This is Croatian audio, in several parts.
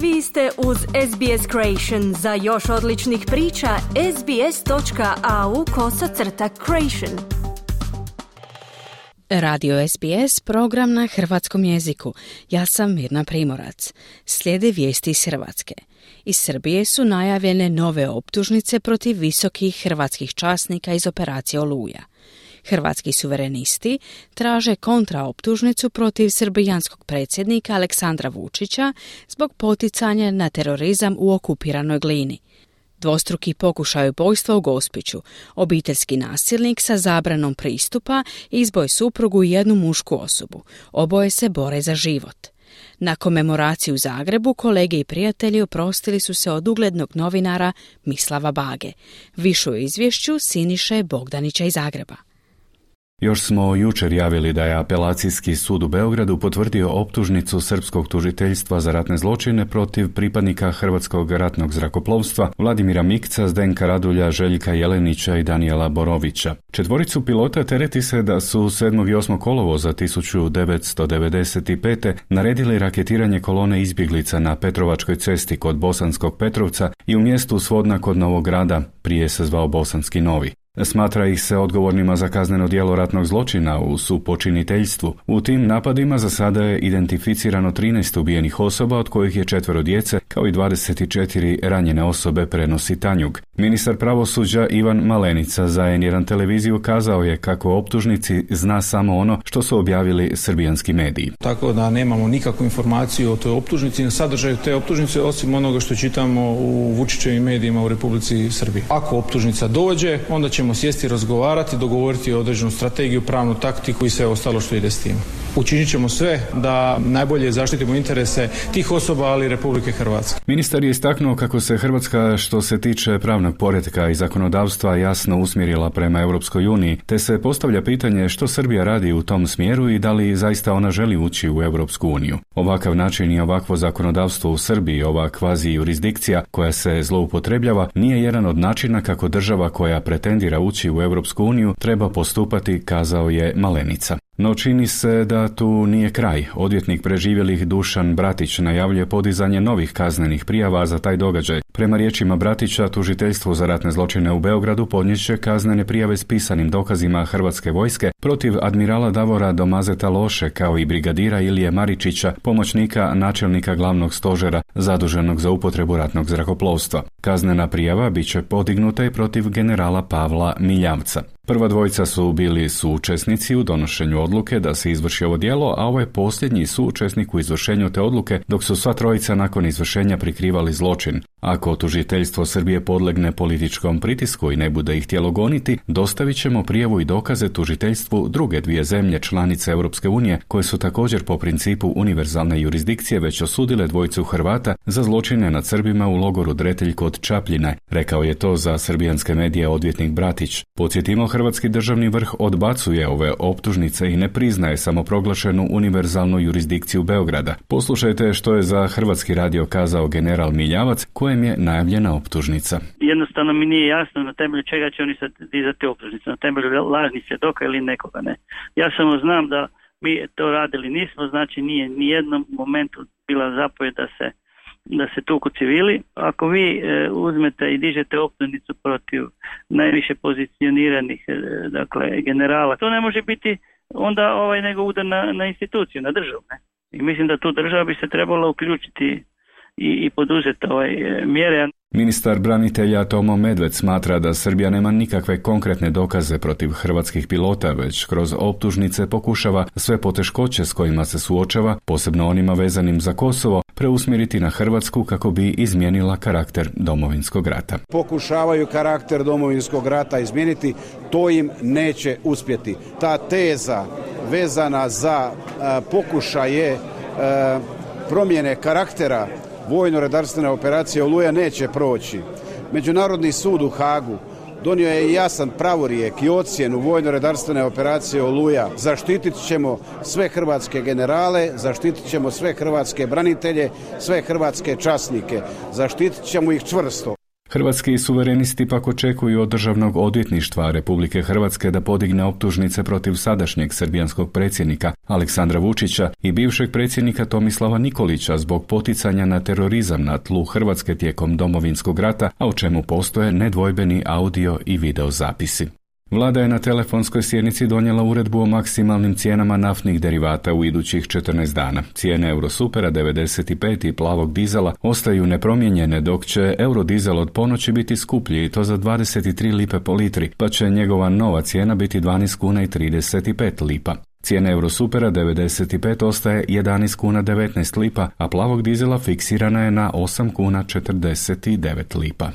Vi ste uz SBS Creation. Za još odličnih priča, sbs.au/creation. Radio SBS, program na hrvatskom jeziku. Ja sam Mirna Primorac. Slijede vijesti iz Hrvatske. Iz Srbije su najavljene nove optužnice protiv visokih hrvatskih časnika iz operacije Oluja. Hrvatski suverenisti traže kontraoptužnicu protiv srbijanskog predsjednika Aleksandra Vučića zbog poticanja na terorizam u okupiranoj Glini. Dvostruki pokušaj ubojstva u Gospiću, obiteljski nasilnik sa zabranom pristupa izboj suprugu i jednu mušku osobu. Oboje se bore za život. Na komemoraciji u Zagrebu kolege i prijatelji oprostili su se od uglednog novinara Mislava Bage. Više u izvješću Siniše Bogdanića iz Zagreba. Još smo jučer javili da je apelacijski sud u Beogradu potvrdio optužnicu srpskog tužiteljstva za ratne zločine protiv pripadnika Hrvatskog ratnog zrakoplovstva Vladimira Mikca, Zdenka Radulja, Željka Jelenića i Danijela Borovića. Četvoricu pilota tereti se da su 7. i 8. kolovoza 1995. naredili raketiranje kolone izbjeglica na Petrovačkoj cesti kod Bosanskog Petrovca i u mjestu Svodna kod Novog Grada, prije se zvao Bosanski Novi. Smatra ih se odgovornima za kazneno djelo ratnog zločina u supočiniteljstvu. U tim napadima za sada je identificirano 13 ubijenih osoba, od kojih je 4 djece, kao i 24 ranjene osobe, prenosi Tanjug. Ministar pravosuđa Ivan Malenica za N1 televiziju kazao je kako o optužnici zna samo ono što su objavili srbijanski mediji. Tako da nemamo nikakvu informaciju o toj optužnici, na sadržaju te optužnice, osim onoga što čitamo u Vučićevim medijima u Republici Srbiji. Ako optužnica dođe, onda ćemo sjesti, razgovarati, dogovoriti određenu strategiju, pravnu taktiku i sve ostalo što ide s tim. Učinit ćemo sve da najbolje zaštitimo interese tih osoba, ali i Republike Hrvatske. Ministar je istaknuo kako se Hrvatska, što se tiče pravnog poretka i zakonodavstva, jasno usmjerila prema Europskoj uniji, te se postavlja pitanje što Srbija radi u tom smjeru i da li zaista ona želi ući u Europsku uniju. Ovakav način i ovakvo zakonodavstvo u Srbiji, ova kvazi jurisdikcija koja se zloupotrebljava, nije jedan od načina kako država koja pretendira ući u Europsku uniju treba postupati, kazao je Malenica. No čini se da tu nije kraj. Odvjetnik preživjelih Dušan Bratić najavljuje podizanje novih kaznenih prijava za taj događaj. Prema riječima Bratića, tužiteljstvo za ratne zločine u Beogradu podnijet će kaznene prijave s pisanim dokazima Hrvatske vojske protiv admirala Davora Domazeta Loše, kao i brigadira Ilije Maričića, pomoćnika načelnika glavnog stožera zaduženog za upotrebu ratnog zrakoplovstva. Kaznena prijava bit će podignuta i protiv generala Pavla Miljavca. Prva dvojica su bili suučesnici u donošenju odluke da se izvrši ovo djelo, a ovo je posljednji suučesnik u izvršenju te odluke, dok su sva trojica nakon izvršenja prikrivali zločin. Ako tužiteljstvo Srbije podlegne političkom pritisku i ne bude ih htjelo goniti, dostavit ćemo prijavu i dokaze tužiteljstvu druge dvije zemlje članice Europske unije, koje su također po principu univerzalne jurisdikcije već osudile dvojicu Hrvata za zločine nad Srbima u logoru Dretelj kod Čapljine. Rekao je to za srbijanske medije odvjetnik Bratić. Podsjetimo, hrvatski državni vrh odbacuje ove optužnice i ne priznaje samoproglašenu univerzalnu jurisdikciju Beograda. Poslušajte što je za Hrvatski radio kazao general Miljavac, kojem je najavljena optužnica. Jednostavno mi nije jasno na temelju čega će oni sad dizati optužnice, na temelju lažnih svjedoka ili nekoga, ne. Ja samo znam da mi to radili nismo, znači nije ni jednom momentu bila zapovjed da se tuku civili. Ako vi uzmete i dižete optužnicu protiv najviše pozicioniranih generala, to ne može biti onda nego udar na instituciju, na državu, ne. I mislim da tu država bi se trebala uključiti i poduzeti mjere. Ministar branitelja Tomo Medved smatra da Srbija nema nikakve konkretne dokaze protiv hrvatskih pilota, već kroz optužnice pokušava sve poteškoće s kojima se suočava, posebno onima vezanim za Kosovo, preusmjeriti na Hrvatsku kako bi izmijenila karakter Domovinskog rata. Pokušavaju karakter Domovinskog rata izmijeniti, to im neće uspjeti. Ta teza vezana za pokušaje promjene karaktera vojno-redarstvene operacije Oluja neće proći. Međunarodni sud u Hagu donio je jasan pravorijek i ocjenu vojno-redarstvene operacije Oluja. Zaštitit ćemo sve hrvatske generale, zaštitit ćemo sve hrvatske branitelje, sve hrvatske časnike. Zaštitit ćemo ih čvrsto. Hrvatski suverenisti pak očekuju od Državnog odvjetništva Republike Hrvatske da podigne optužnice protiv sadašnjeg srbijanskog predsjednika Aleksandra Vučića i bivšeg predsjednika Tomislava Nikolića zbog poticanja na terorizam na tlu Hrvatske tijekom Domovinskog rata, a u čemu postoje nedvojbeni audio i video zapisi. Vlada je na telefonskoj sjednici donijela uredbu o maksimalnim cijenama naftnih derivata u idućih 14 dana. Cijene Eurosupera 95 i plavog dizela ostaju nepromijenjene, dok će eurodizel od ponoći biti skuplji i to za 23 lipe po litri, pa će njegova nova cijena biti 12 kuna i 35 lipa. Cijena Eurosupera 95 ostaje 11 kuna 19 lipa, a plavog dizela fiksirana je na 8 kuna 49 lipa.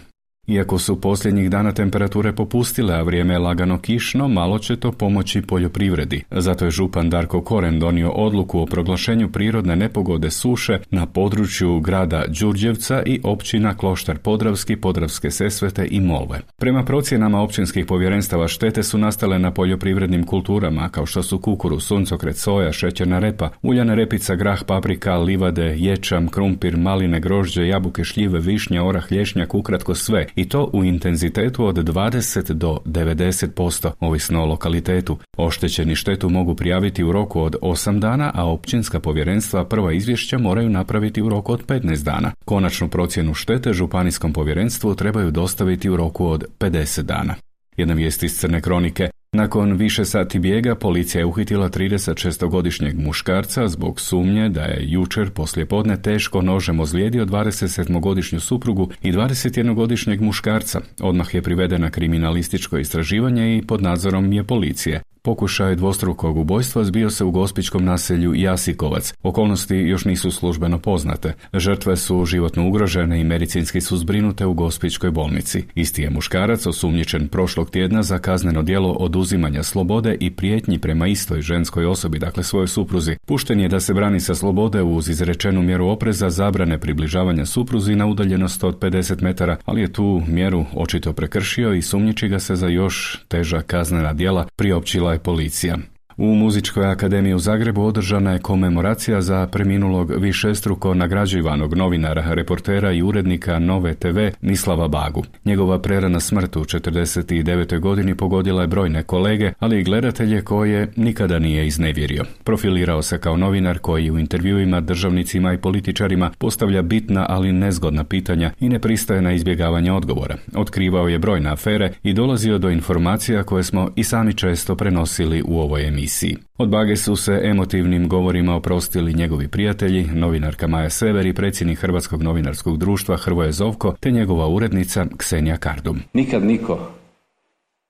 Iako su posljednjih dana temperature popustile, a vrijeme je lagano kišno, malo će to pomoći poljoprivredi. Zato je župan Darko Koren donio odluku o proglašenju prirodne nepogode suše na području grada Đurđevca i općina Kloštar Podravski, Podravske Sesvete i Molve. Prema procjenama općinskih povjerenstava štete su nastale na poljoprivrednim kulturama kao što su kukuruz, suncokret, soja, šećerna repa, uljana repica, grah, paprika, livade, ječam, krumpir, maline, grožđe, jabuke, šljive, višnja, orah, lješnjak, ukratko sve. I to u intenzitetu od 20 do 90%, ovisno o lokalitetu. Oštećeni štetu mogu prijaviti u roku od 8 dana, a općinska povjerenstva prva izvješća moraju napraviti u roku od 15 dana. Konačnu procjenu štete županijskom povjerenstvu trebaju dostaviti u roku od 50 dana. Jedna vijest iz Crne kronike. Nakon više sati bijega, policija je uhitila 36-godišnjeg muškarca zbog sumnje da je jučer poslijepodne teško nožem ozlijedio 27-godišnju suprugu i 21-godišnjeg muškarca. Odmah je privedena kriminalističko istraživanje i pod nadzorom je policije. Pokušaj dvostrukog ubojstva zbio se u gospićkom naselju Jasikovac. Okolnosti još nisu službeno poznate. Žrtve su životno ugrožene i medicinski su zbrinute u gospićkoj bolnici. Isti je muškarac osumnjičen prošlog tjedna za kazneno djelo oduzimanja slobode i prijetnji prema istoj ženskoj osobi, dakle svojoj supruzi. Pušten je da se brani sa slobode uz izrečenu mjeru opreza zabrane približavanja supruzi na udaljenost od 50 metara, ali je tu mjeru očito prekršio i sumnjiči ga se za još teža kaznena djela, priopćila je policija. U Muzičkoj akademiji u Zagrebu održana je komemoracija za preminulog višestruko nagrađivanog novinara, reportera i urednika Nove TV Mislava Bagu. Njegova prerana smrt u 49. godini pogodila je brojne kolege, ali i gledatelje koje nikada nije iznevjerio. Profilirao se kao novinar koji u intervjuima državnicima i političarima postavlja bitna, ali nezgodna pitanja i ne pristaje na izbjegavanje odgovora. Otkrivao je brojne afere i dolazio do informacija koje smo i sami često prenosili u ovoj emisiji. Od Bage su se emotivnim govorima oprostili njegovi prijatelji, novinarka Maja Sever i predsjednik Hrvatskog novinarskog društva Hrvoje Zovko te njegova urednica Ksenija Kardum. Nikad niko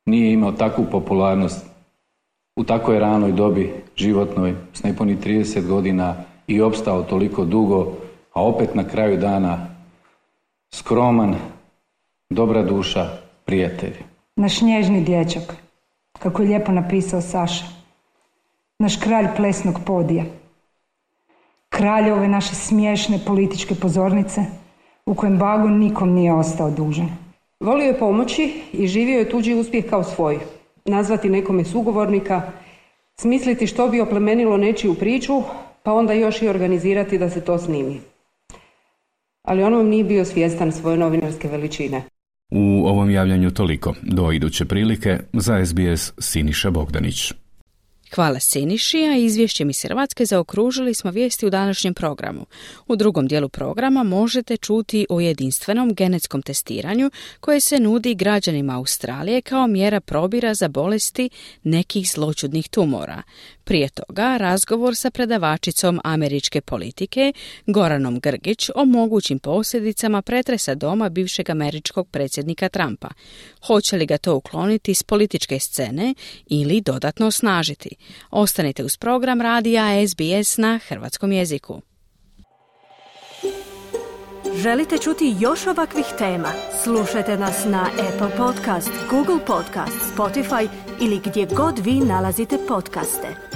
nije imao takvu popularnost u takvoj ranoj dobi životnoj, s nepunih 30 godina i opstao toliko dugo, a opet na kraju dana skroman, dobra duša, prijatelj. Naš nježni dječak, kako je lijepo napisao Saša. Naš kralj plesnog podija. Kralj ove naše smiješne političke pozornice u kojem Bago nikom nije ostao dužan. Volio je pomoći i živio je tuđi uspjeh kao svoj. Nazvati nekome sugovornika, smisliti što bi oplemenilo nečiju priču, pa onda još i organizirati da se to snimi. Ali on vam nije bio svjestan svoje novinarske veličine. U ovom javljanju toliko. Do iduće prilike, za SBS Siniša Bogdanić. Hvala Siniši, a izvješćem iz Hrvatske zaokružili smo vijesti u današnjem programu. U drugom dijelu programa možete čuti o jedinstvenom genetskom testiranju koje se nudi građanima Australije kao mjera probira za bolesti nekih zloćudnih tumora. Prije toga razgovor sa predavačicom američke politike Goranom Grgić o mogućim posljedicama pretresa doma bivšeg američkog predsjednika Trumpa. Hoće li ga to ukloniti s političke scene ili dodatno osnažiti? Ostanite uz program radija SBS na hrvatskom jeziku. Želite čuti još ovakvih tema? Slušajte nas na Apple Podcast, Google Podcast, Spotify ili gdje god vi nalazite podcaste.